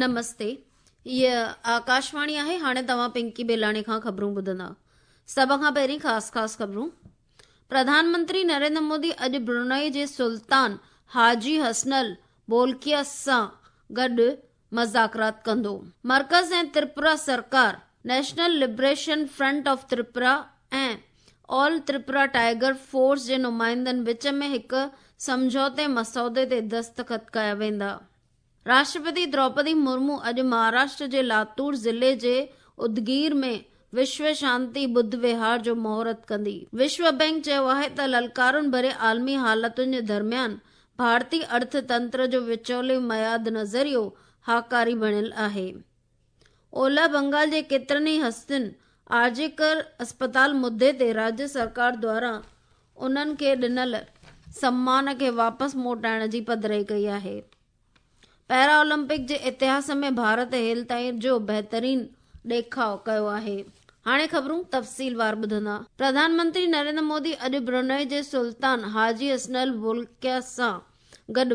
نمستي هيء آڪاشواڻي آهي هاڻي توهان پنڪي بيلاڻي کان خبرون ٻڌندا سڀ کان پهرين خاص خاص خبرون پرڌان منتري نريندر مودي اڄ برونائي جي سلطان حاجي حسنل بولڪيا سان گڏ مذاڪرات ڪندو مرڪز ۽ تريپورا سرڪار national liberation front of Tripura ۽ all Tripura tiger force جي نمائندن وچ ۾ هڪ سمجهوتي مسودي تي دستخط ڪيا ويندا. راشٽرپتي دروپدي مرمو اڄ مهاراشٽر جي لاتور ضلعي جي ادگير ۾ وشو شانتي ٻڌ وهار جو مهورت ڪندي. وشو بئنڪ چيو آهي ته للڪارن ڀري عالمي حالتن جي درميان ڀارتي ارٿ تنتر جو وچولي معياد نظريو هاڪاري بڻيل آهي. اولهه بنگال جي ڪيترن ئي هستين آرجيڪر اسپتال مدي تي راجيه سرڪار دواران انهن کي ڏنل سمان کي واپس موٽائڻ جي پڌرائي ڪئي آهي. پيرا اولمپڪ جي اتهاس ۾ ڀارت هيل تائين جو بهترين ڏيکاء ڪيو آهي. هاڻي خبرون تفصيلوار ٻڌندا. پرڌان منتري نريندر مودي اڄ برونائي جي سلطان حاجي حسنل بولڪيا سان گڏ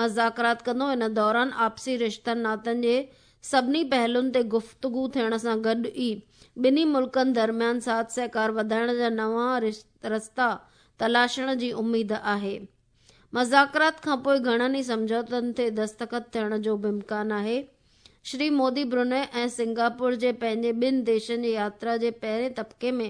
مذاڪرات ڪندو. ان دوران آپسي رشتن ناتن جي سڀني پهلن تي گفتگو ٿيڻ سان گڏ ئي ٻنهي ملڪن درميان ساٿ سهڪار وڌائڻ جا نوان رستا تلاشڻ جي اميد آهي. مذاڪرات کانپوء گهڻن ئي سمجهوتن تي دستخط ٿيڻ جو به امڪان آهي. شري مودي برونائي ۽ سنگاپور جي پنهنجي ٻن ديشن جي ياترا جي پهرين طبقي ۾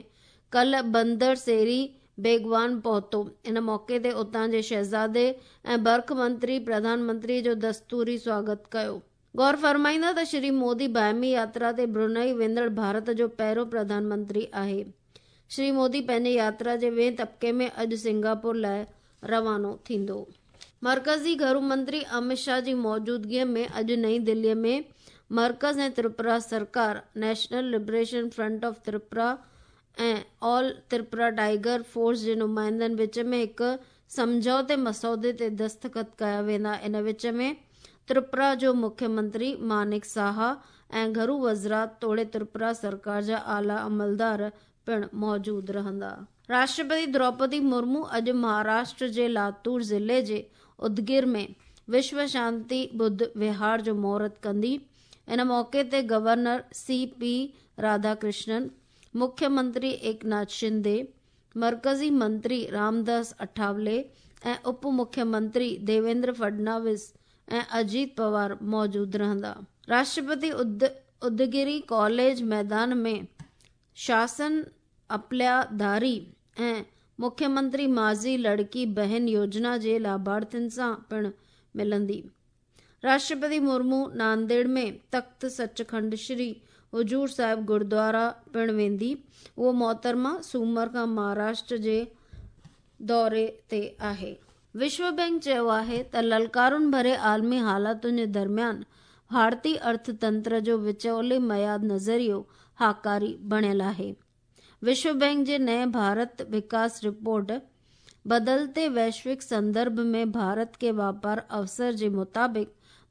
ڪلهه بندر سيري بيگوان پهتو. ان موقعي تي اتان جي شهزادي ۽ برک منتري پرڌان منتري جو دستوري سواگت ڪيو. غور فرمائيندا ته شري مودي باهمي ياترا تي برونائي ويندڙ ڀارت جو پهريون پرڌان منتري آهي. شري مودي پنهنجي ياترا جي ٻئين طبقي ۾ اڄ سنگاپور لاء روانو ٿيندو. مرڪزي گهرو منتري امت شاهه جي موجودگيء ۾ اڄ نئين دهليء ۾ مرڪز ۽ تريپورا سرڪار، national liberation front of Tripura ۽ all Tripura tiger force جي نمائندن وچ ۾ هڪ سمجهوتي مسودي تي دستخط ڪيا ويندا. ان وچ ۾ تريپورا جو مکيه منتري مانڪ ساها ۽ گهرو وزرات توڙي تريپورا سرڪار جا اعليٰ عملدار پڻ موجود رهندا. راشٽرپتي دروپدي مرمو اڄ مهاراشٽر جي لاتور ضلعي جي ادگير ۾ وشو شانتي ٻڌ وهار جو مهورت ڪندي. ان موقعي تي گورنر سي پي راڌاڪرشنن، مکيه منتري ايڪناٿ شندي، مرڪزي منتري رامداس اٺاولي ۽ اپ مکيه منتري ديويندر فڊناويس ۽ اجيت پوار موجود رهندا. راشٽرپتي ادگيري ڪاليج ميدان ۾ شاسن اپليا ڌاري ۽ مکيه منتري ماضي لڙڪي بهن يوجنا جي لاڀارٿين سان پڻ ملندي. راشٽرپتي مرمو نانديڙ ۾ تخت سچکنڊ شري حضور صاحب گردوارا پڻ ويندي. اهو محترمه سومر کان مهاراشٽر جي دوري تي آهي. وشو بئنڪ چيو آهي ته للڪارن ڀري عالمي حالتن جي درميان ڀارتي ارٿ تنتر جو وچولي معياد نظريو هاڪاري بڻيل آهي. وشو بئنڪ جي نئين ڀارت وڪاس رپورٽ بدلتي ويشوڪ سندرڀ ۾ ڀارت ڪي واپار اوسر جي مطابق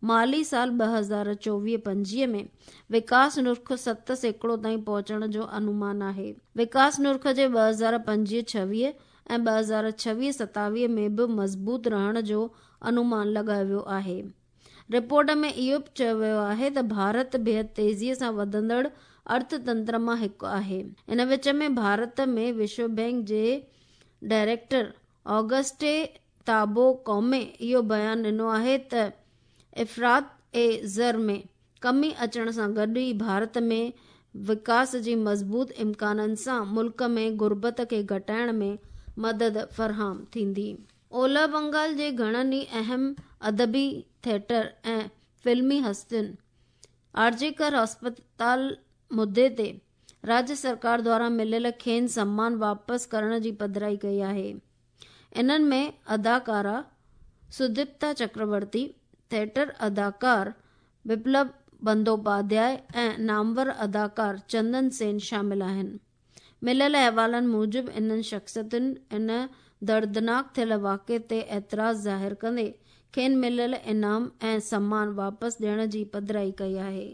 مالي سال 2024 25 ۾ وڪاس نرخ 7% تائين پهچڻ جو انومان آهي. وڪاس نرخ جي 2025 26 ۽ 2026 27 ۾ به مضبوط رهڻ جو انومان لڳايو ويو آهي. رپورٽ ۾ اهو به چيو ويو آهي ته ڀارت بيحد تيزيء سان وڌندڙ ارٿ تنتر مان هڪ آهي. ان وچ ۾ ڀارت ۾ وشو بئنڪ جي ڊائريڪٽر آگسٽي تابو ڪومي اهو بيان ڏنو آهي ته افراط زر ۾ ڪمي اچڻ سان گڏ ئي ڀارت ۾ وڪاس جي مضبوط امڪانن سان ملڪ ۾ غربت کي گهٽائڻ ۾ مدد فراهم ٿيندي. اولهه بنگال جي گهڻن ئي اهم ادبي، ٿيٽر ۽ فلمي هستين آرجيڪر اسپتال مدي تي راڄ سرڪار دواران مليل کين سمان واپس ڪرڻ جي پڌرائي ڪئي آهي. انهن ۾ اداڪارا سديپتا چڪرورتي، ٿيٽر اداڪار بپلب بندوپاڌياء ۽ نامور اداڪار چندن سين شامل آهن. مليل احوالن موجب انهن شخصيتن ان دردناڪ ٿيل واقعي تي اعتراض ظاهر ڪندي کين مليل انعام ۽ سمان واپس ڏيڻ جي پڌرائي ڪئي آهي.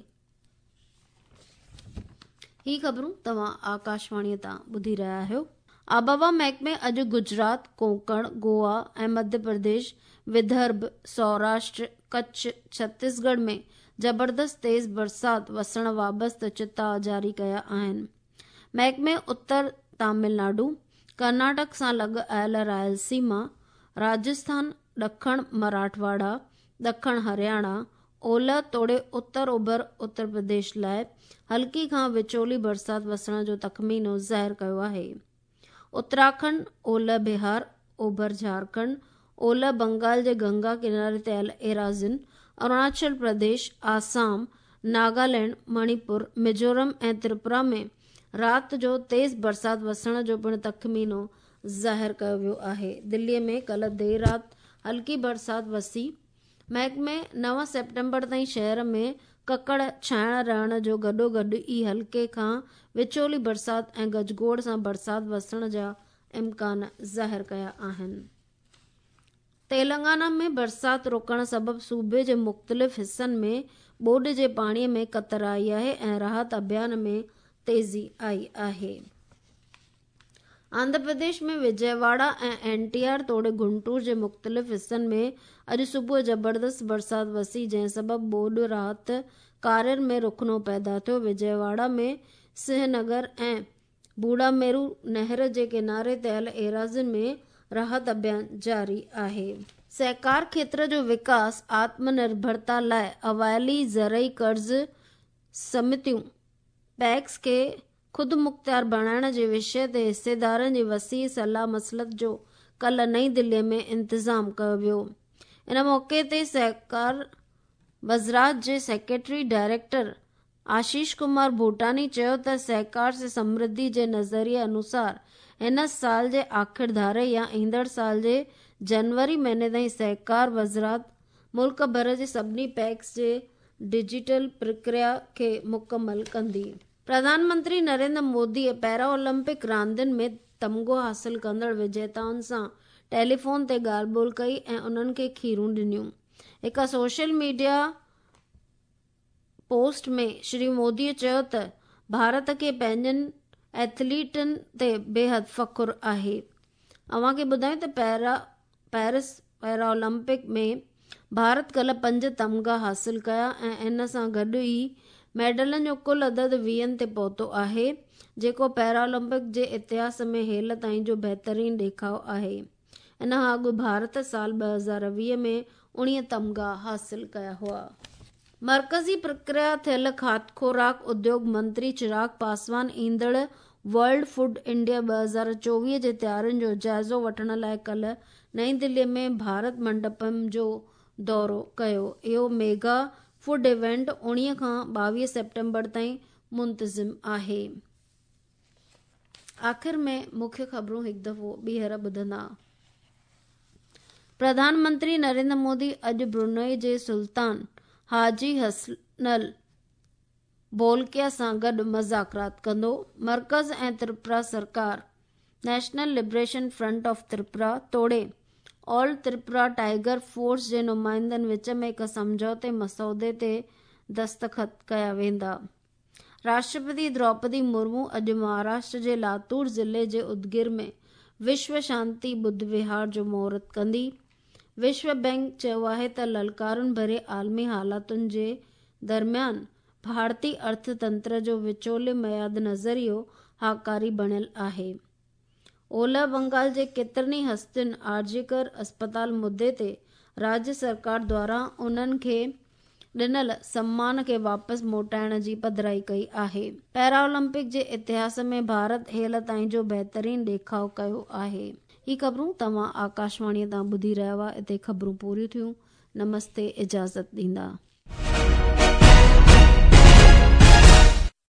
هي خبرون توهان آڪاشواڻي تان ٻڌي رهيا آهيو. آبهوا محڪمي اڄ گجرات، ڪونڪڻ، گوا ۽ مڌيه پرديش، ودرڀ، سوراشٽر، ڪڇ، ڇتيسڳڙهه ۾ زبردست تيز برسات وسڻ وابسته چتاء جاري ڪيا آهن. محڪمي اتر تامل ناڊو، ڪرناٽڪ سان لڳ آيل رائلسيما، راجسٿان، ڏکڻ مراٺواڙا، ڏکڻ هرياڻا، اولهه توڙي اتر اوڀر اتر پرديش لاء هلڪي کان وچولي برسات وسڻ جو تخمينو ظاهر ڪيو آهي. اتراکنڊ، اولهه بهار، اوڀر جهارکنڊ، اولهه بنگال جي گنگا ڪناري تي آيل ايراضين، اروناچل پرديش، آسام، ناگالينڊ، مڻيپور، ميزورم ۽ تريپورا ۾ رات جو تيز برسات وسڻ جو پڻ تخمينو ظاهر ڪيو ويو آهي. دلي ۾ ڪلهه دير رات هلڪي برسات وسي. محڪمي نو سيپٽمبر تائين شهر ۾ ڪڪڙ ڇانئڻ رهڻ جو گڏوگڏ ئي هلڪي کان وچولي برسات ۽ گجگوڙ سان برسات وسڻ جا امڪان ظاهر ڪيا آهن. تيلنگانا ۾ برسات رڪڻ سبب صوبي جي مختلف حصن ۾ ٻوڏ جي پاڻي ۾ ڪتر آئي آهي ۽ راحت اڀيان ۾ تيزي آئي آهي. Andhra Pradesh ۾ Vijayawada ۽ N T R توڙي گنٽور جي مختلف حصن ۾ اڄ صبح زبردست برسات وسي جنهن سبب ٻوڏ راحت ڪارين ۾ رخنو پيدا ٿيو. وجئواڙا ۾ سنهه نگر ۽ بوڙاميرو نهر جي ڪناري تي آيل ايراضين ۾ راحت اڀيان جاري آهي. سهڪار کيتر جو وڪاس آتم نرڀرتا لاء اوائلي زرعي قرض سمتيون، پيڪس، کي خودمختيار بڻائڻ جي وشيه تي حصيدارن جي وسيع صلاح مصلحت جو ڪلهه نئين دهلي ۾ انتظام ڪيو ويو. ان موقعي تي سهڪار وزارت جي سيڪريٽري ڊائريڪٽر آشيش ڪمار ڀوٽاني چيو ته سهڪار سي سمرڌي جي نظريي انوسار هن سال جي آخر ڌاري يا ايندڙ سال جي جنوري مهيني تائين سهڪار وزارت ملڪ ڀر جي سڀني پيڪس جي ڊجيٽل پرڪريا کي مڪمل ڪندي. پرڌان منتري نريندر موديء پيرا اولمپڪ راندين ۾ تمغو حاصل ڪندڙ وجيتائن سان ٽيليفون تي ڳالهه ٻولهه ڪئي ۽ انهن کي کيرون ڏنيون. هڪ سوشل ميڊيا پوسٽ ۾ شري موديء چيو ته ڀارت کي پنهنجن ايٿليٽن تي بيحد فخر آهي. اوهان کي ٻڌايون ته پيرس پيرا اولمپڪ ۾ ڀارت ڪلهه پنج تمغا حاصل ڪيا ۽ ان سان گڏ ئي ميڊلن جو ڪل عدد ويهن تي پهتو آهي، جيڪو پيرا اولمپڪ جي اتهاس ۾ هيل تائين جو بهترين ڏيکاء آهي. ان کان اڳ ڀارت سال 2020 ۾ 19 تمغا حاصل ڪيا هئا. مرڪزي پرڪريا ٿيل کاڌ خوراڪ اديوڳ منتري چراغ پاسوان ايندڙ ورلڊ فوڊ انڊيا 2024 جي تيارين جو جائزو وٺڻ لاء ڪلهه نئين دهلي ۾ ڀارت منڊپم جو دورو ڪيو. اهو ميگا فوڊ ايونٽ 19 کان 22 سيپٽمبر تائين منتظم آهي. آخر ۾ مکيه خبرون هڪ دفعو ٻيهر ٻڌندا. پرڌان منتري نريندر مودي اڄ برونائي جي سلطان حاجي حسنل بولڪيا سان گڏ مذاڪرات ڪندو. مرڪز ۽ تريپورا سرڪار national liberation front of Tripura توڙي آل تريپورا ٽائيگر فورس جي نمائندن وچ ۾ هڪ سمجهوتي مسودي تي دستخط ڪيا ويندا. راشٽرپتي دروپدي مرمو اڄ مهاراشٽر جي لاتور ضلعي جي ادگير ۾ وشو شانتي ٻڌ وهار جو مهورت ڪندي. وشو بئنڪ چيو آهي ته للڪارن ڀري عالمي حالاتن جي درميان ڀارتي ارٿ تنتر جو وچولي معياد نظريو هاڪاري بڻيل آهي. اولهه بنگال جي ڪيترن ئي هستين آرجيڪر اسپتال مدي تي راڄ سرڪار دواران انهن کي ڏنل سمان کي واپس موٽائڻ جي پڌرائي ڪئي آهي. پيرا اولمپڪ جي اتهاس ۾ ڀارت هيل تائين جو بهترين ڏيکاء ڪيو آهي. هي خبرون توهان آڪاشواڻيء تان ٻڌي رهيا هئا. اتي خبرون پوريون ٿيون. نمستي اجازت ڏيندا.